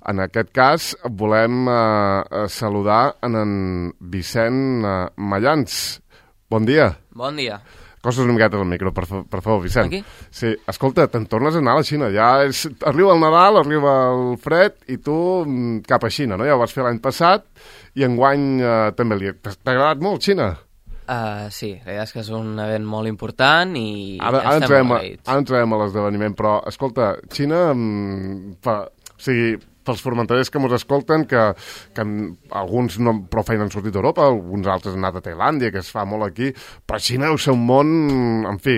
En aquest cas, volem saludar en Vicent Mallans. Bon dia. Bon dia. Coses una miqueta del micro, per favor, Vicent. Aquí? Sí, escolta, te'n tornes a anar a la Xina. Arriba el Nadal, arriba el fred, i tu cap a Xina, no? Ja ho vas fer l'any passat, i enguany també t'ha agradat molt, Xina? Sí, la veritat és que és un event molt important i ara estem molt agraïts. Ara entrarem a l'esdeveniment, però, escolta, Xina, pels formenterers que ens escolten, que alguns prou feina han sortit d'Europa, alguns altres han anat a Tailàndia, que es fa molt aquí, però Xina deu ser un món, en fi,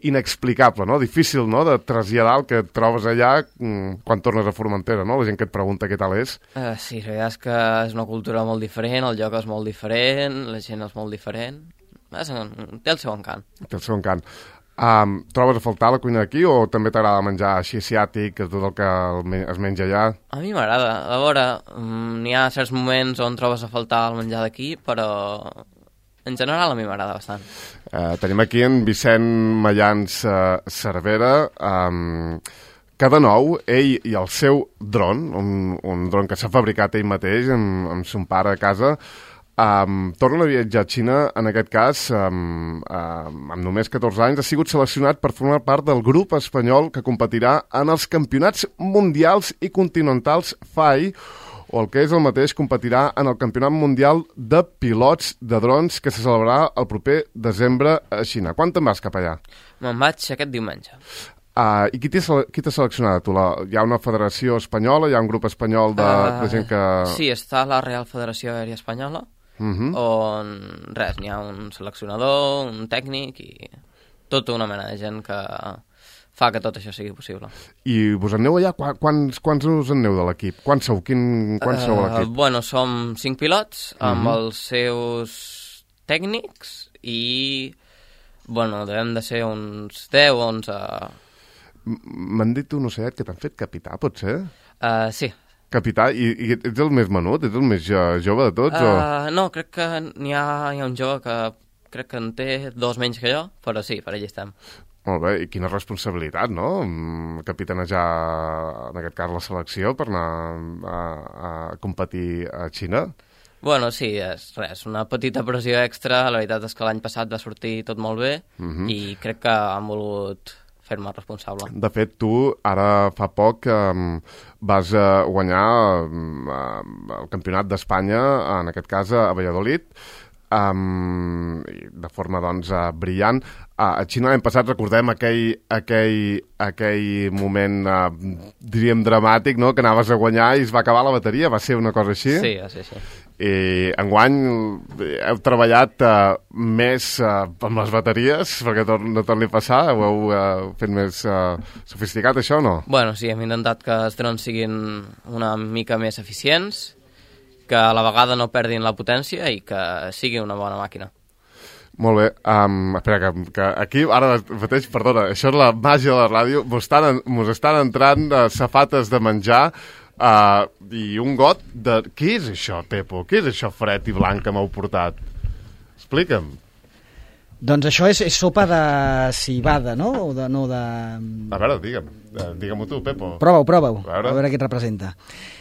inexplicable, no? Difícil, no?, de traslladar el que et trobes allà quan tornes a Formentera, no? La gent que et pregunta què tal és. Sí, la veritat és que és una cultura molt diferent, el lloc és molt diferent, la gent és molt diferent, té el seu encant. Té el seu encant. Trobes a faltar la cuina d'aquí o també t'agrada menjar així asiàtic, tot el que es menja allà? A mi m'agrada. A veure, n'hi ha certs moments on trobes a faltar el menjar d'aquí, però en general a mi m'agrada bastant. Tenim aquí en Vicent Mallans Cervera, que de nou, ell i el seu dron, un dron que s'ha fabricat ell mateix amb son pare a casa, tornen a viatjar a Xina, en aquest cas, amb només 14 anys, ha sigut seleccionat per formar part del grup espanyol que competirà en els campionats mundials i continentals FAI, o el que és el mateix, competirà en el Campionat Mundial de Pilots de Drons que se celebrarà el proper desembre a Xina. Quan te'n vas cap allà? Me'n vaig aquest diumenge. I qui t'ha seleccionat? Hi ha una federació espanyola, hi ha un grup espanyol de gent que... Sí, està la Real Federació Aèria Espanyola, on n'hi ha un seleccionador, un tècnic i tota una mena de gent que fa que tot això sigui possible. I vos aneu allà? Quants us en aneu de l'equip? Quants sou? Quants sou a l'equip? Bueno, som 5 pilots amb els seus tècnics i, bueno, devem de ser uns 10 o 11... M'han dit un ocellet que t'han fet capità, pot ser? Sí. Capità? I ets el més menut? Ets el més jove de tots? No, crec que hi ha un jove que crec que en té 2 menys que jo, però sí, per allà estem. Molt bé, i quina responsabilitat, no? Capitanejar, en aquest cas, la selecció per anar a competir a Xina? Bueno, sí, és una petita pressió extra. La veritat és que l'any passat va sortir tot molt bé i crec que han volut fer-me responsable. De fet, tu ara fa poc vas guanyar el Campionat d'Espanya, en aquest cas a Valladolid, de forma, doncs, brillant. A Xina l'any passat recordem aquell moment, diríem, dramàtic, no?, que anaves a guanyar i es va acabar la bateria, va ser una cosa així? Sí, va ser així. I enguany heu treballat més amb les bateries perquè no torni a passar? Ho heu fet més sofisticat, això, o no? Bueno, sí, hem intentat que els drons siguin una mica més eficients, que a la vegada no perdin la potència i que sigui una bona màquina. Molt bé, espera, que aquí ara mateix, perdona, això és la màgia de la ràdio, mos estan entrant safates de menjar i un got de... Què és això, Pepo? Què és això fred i blanc que m'heu portat? Explica'm. Doncs això és sopa de civada, no? A veure, digue-m'ho tu, Pepo. Prova-ho, a veure què et representa.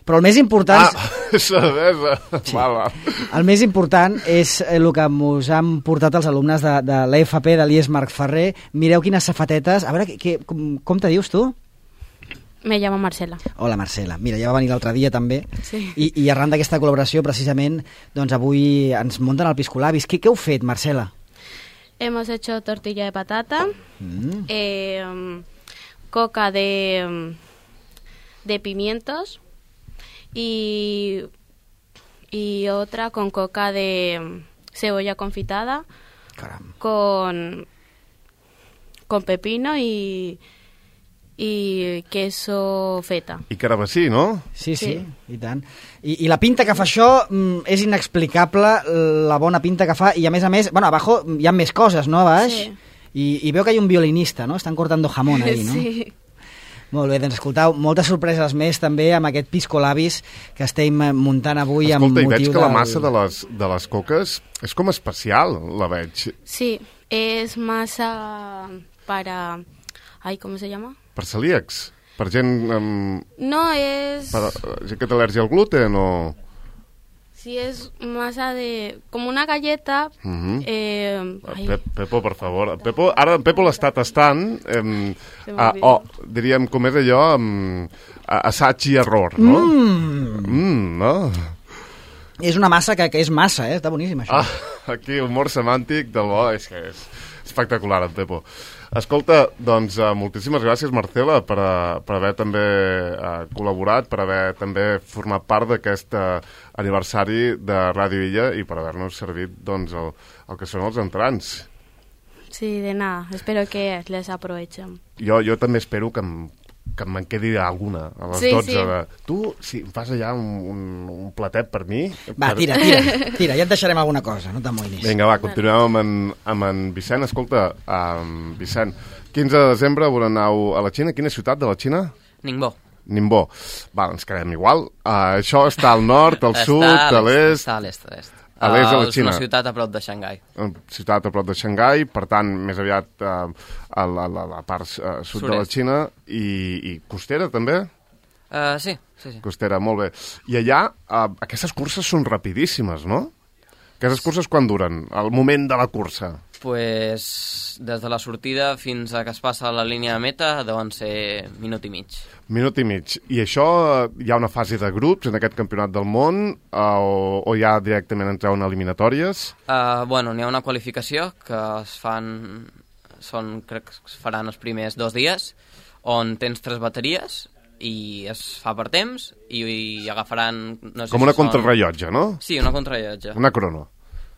Però el més important... cervesa! Sí. El més important és el que ens han portat els alumnes de l'EFP de l'IES Marc Ferrer. Mireu quines safatetes... A veure, com te dius tu? Me llamo Marcela. Hola, Marcela. Mira, ja va venir l'altre dia també. Sí. I arran d'aquesta col·laboració, precisament, doncs avui ens munten el piscolabis. Què heu fet, Marcela? Hemos hecho tortilla de patata, coca de pimientos y otra con coca de cebolla confitada, con pepino y queso feta. I carabassí, no? Sí, i tant. I la pinta que fa això és inexplicable, la bona pinta que fa, i a més, bueno, abajo hi ha més coses, no, a baix? Sí. I veu que hi ha un violinista, no? Estan cortando jamón ahí, no? Sí. Molt bé, doncs escoltau, moltes sorpreses més també amb aquest piscolabis que estem muntant avui. Escolta, amb motiu i veig que la massa de les coques és com especial, la veig. Sí, es masa para... ¿cómo se llama? Per celíacs. Per gent... No, és... gent que té al·lèrgia al gluten o...? Si és massa de... Com una galleta... Pepo, per favor. Ara en Pepo l'està tastant. Diríem, com és allò, assaig i error, no? No? És una massa que és massa, està boníssim, això. Aquí, humor semàntic del bo, és que és espectacular, en Pepo. Escolta, doncs, moltíssimes gràcies, Marcela, per haver també col·laborat, per haver també format part d'aquest aniversari de Ràdio Illa i per haver-nos servit, doncs, el que són els entrants. Sí, de nada. Espero que les aprovechen. Jo també espero que me'n quedi alguna a les 12. Sí. Tu, si em fas allà un platet per mi... Va, tira, ja et deixarem alguna cosa, no t'amoïnis. Vinga, va, continuem amb en Vicent. Escolta, Vicent, 15 de desembre aneu a la Xina. Quina ciutat de la Xina? Ningbo. Va, ens quedem igual. Això està al nord, al sud, a l'est... Està a l'est, a l'est. A l'est de la És Xina. una ciutat a prop de Xangai. Ciutat a prop de Xangai, per tant, més aviat a la part sud de la Xina i costera, també? Sí. Costera, molt bé. I allà, aquestes curses són rapidíssimes, no? Aquestes curses quan duren? El moment de la cursa? Pues des de la sortida fins a que es passa a la línia de meta deuen ser minut i mig. Minut i mig. I això, hi ha una fase de grups en aquest campionat del món o ja directament entreu en eliminatòries? Bueno, n'hi ha una qualificació que es fan... crec que es faran els primers 2 dies, on tens 3 bateries i es fa per temps i agafaran... No sé com una contrarrellotge, no? Sí, una contrarrellotge. Una crono.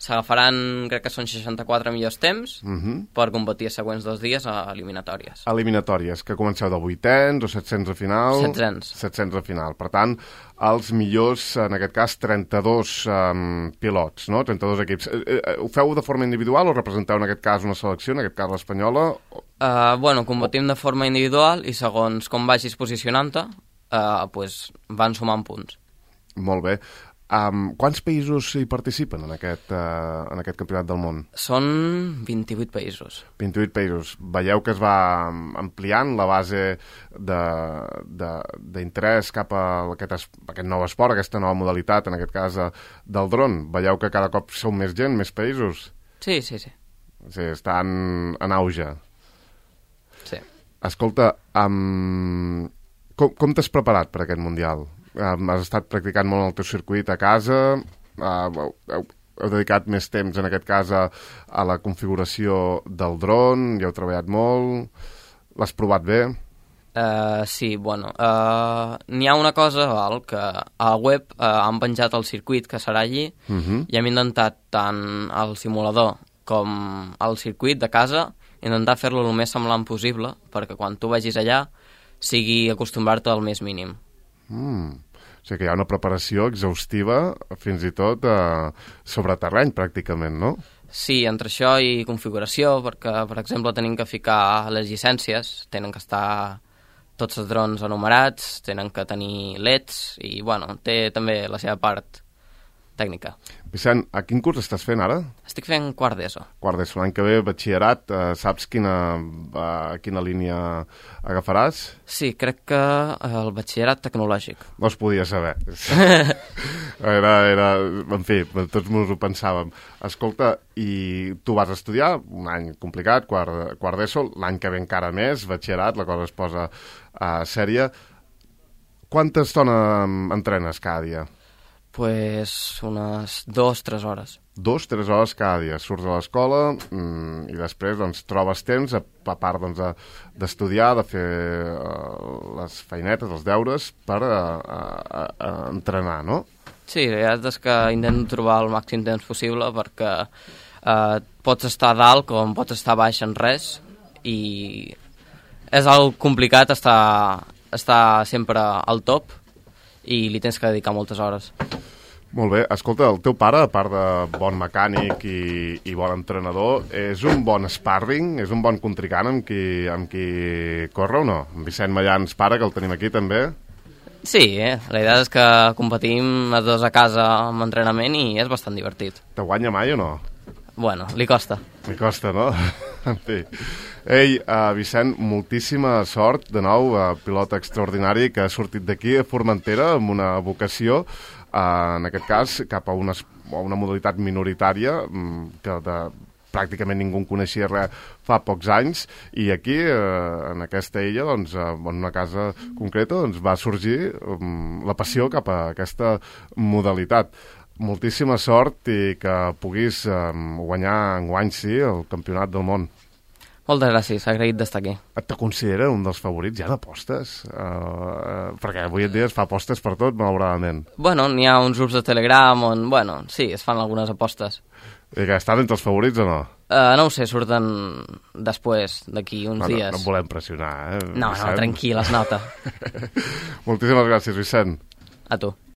S'agafaran, crec que són 64 millors temps per competir els següents 2 dies a eliminatòries. Eliminatòries, que comenceu de 800 o 700 a final? 700. 700 a final. Per tant, els millors, en aquest cas, 32 pilots, no? 32 equips. Ho feu de forma individual o representeu en aquest cas una selecció, en aquest cas l'espanyola? Bueno, competim de forma individual i segons com vagis posicionant-te, pues, van sumant punts. Molt bé. Quants països hi participen en aquest campionat del món? Són 28 països. 28 països. Veieu que es va ampliant la base d'interès cap a aquest nou esport, aquesta nova modalitat, en aquest cas del dron. Veieu que cada cop sou més gent, més països? Sí. Sí, estan en auge. Sí. Escolta, com t'has preparat per aquest Mundial? Has estat practicant molt el teu circuit a casa, heu dedicat més temps en aquest cas a la configuració del dron, hi heu treballat molt, l'has provat bé? Sí, bueno, n'hi ha una cosa, que a la web han penjat el circuit que serà allí i hem intentat tant el simulador com el circuit de casa, intentar fer-lo el més semblant possible perquè quan tu vagis allà sigui acostumbrar-te al més mínim. O sigui que hi ha una preparació exhaustiva, fins i tot sobre terreny, pràcticament, no? Sí, entre això i configuració, perquè, per exemple, tenim que ficar les llicències, tenen que estar tots els drons enumerats, tenen que tenir LEDs, i, bueno, té també la seva part tècnica. Vicent, a quin curs estàs fent ara? Estic fent quart d'ESO. Quart d'ESO, l'any que ve, batxillerat, saps quina línia agafaràs? Sí, crec que el batxillerat tecnològic. No es podia saber. En fi, tots ens ho pensàvem. Escolta, i tu vas estudiar, un any complicat, quart d'ESO, l'any que ve encara més, batxillerat, la cosa es posa sèria. Quanta estona entrenes cada dia? Pues unes 2-3 hores. 2-3 hores cada dia. Surts a l'escola i després doncs, trobes temps, a part doncs, d'estudiar, de fer les feinetes, els deures, per entrenar, no? Sí, la veritat és que intento trobar el màxim temps possible perquè pots estar a dalt com pots estar baix en res i és algo complicat estar sempre al top i li tens que dedicar moltes hores. Molt bé. Escolta, el teu pare, a part de bon mecànic i bon entrenador, és un bon sparring, és un bon contrincant amb qui corre o no? En Vicent Mallans, pare, que el tenim aquí també. Sí, la idea és que competim els dos a casa amb entrenament i és bastant divertit. Te guanya mai o no? Bueno, li costa. Li costa, no? En fi. Ei, Vicent, moltíssima sort, de nou, pilot extraordinari que ha sortit d'aquí a Formentera amb una vocació, en aquest cas, cap a una modalitat minoritària que pràcticament ningú en coneixia res fa pocs anys, i aquí, en aquesta illa, doncs, en una casa concreta, doncs, va sorgir la passió cap a aquesta modalitat. Moltíssima sort i que puguis guanyar enguany, sí, el campionat del món. Moltes gràcies, agraït d'estar aquí. Et considera un dels favorits ja d'apostes? Perquè avui en dia es fa apostes per tot, malauradament. Bueno, n'hi ha uns grups de Telegram on, bueno, sí, es fan algunes apostes. I que estan entre els favorits o no? No ho sé, surten després, d'aquí uns dies. No et volem pressionar, No, tranquil, es nota. Moltíssimes gràcies, Vicent. A tu.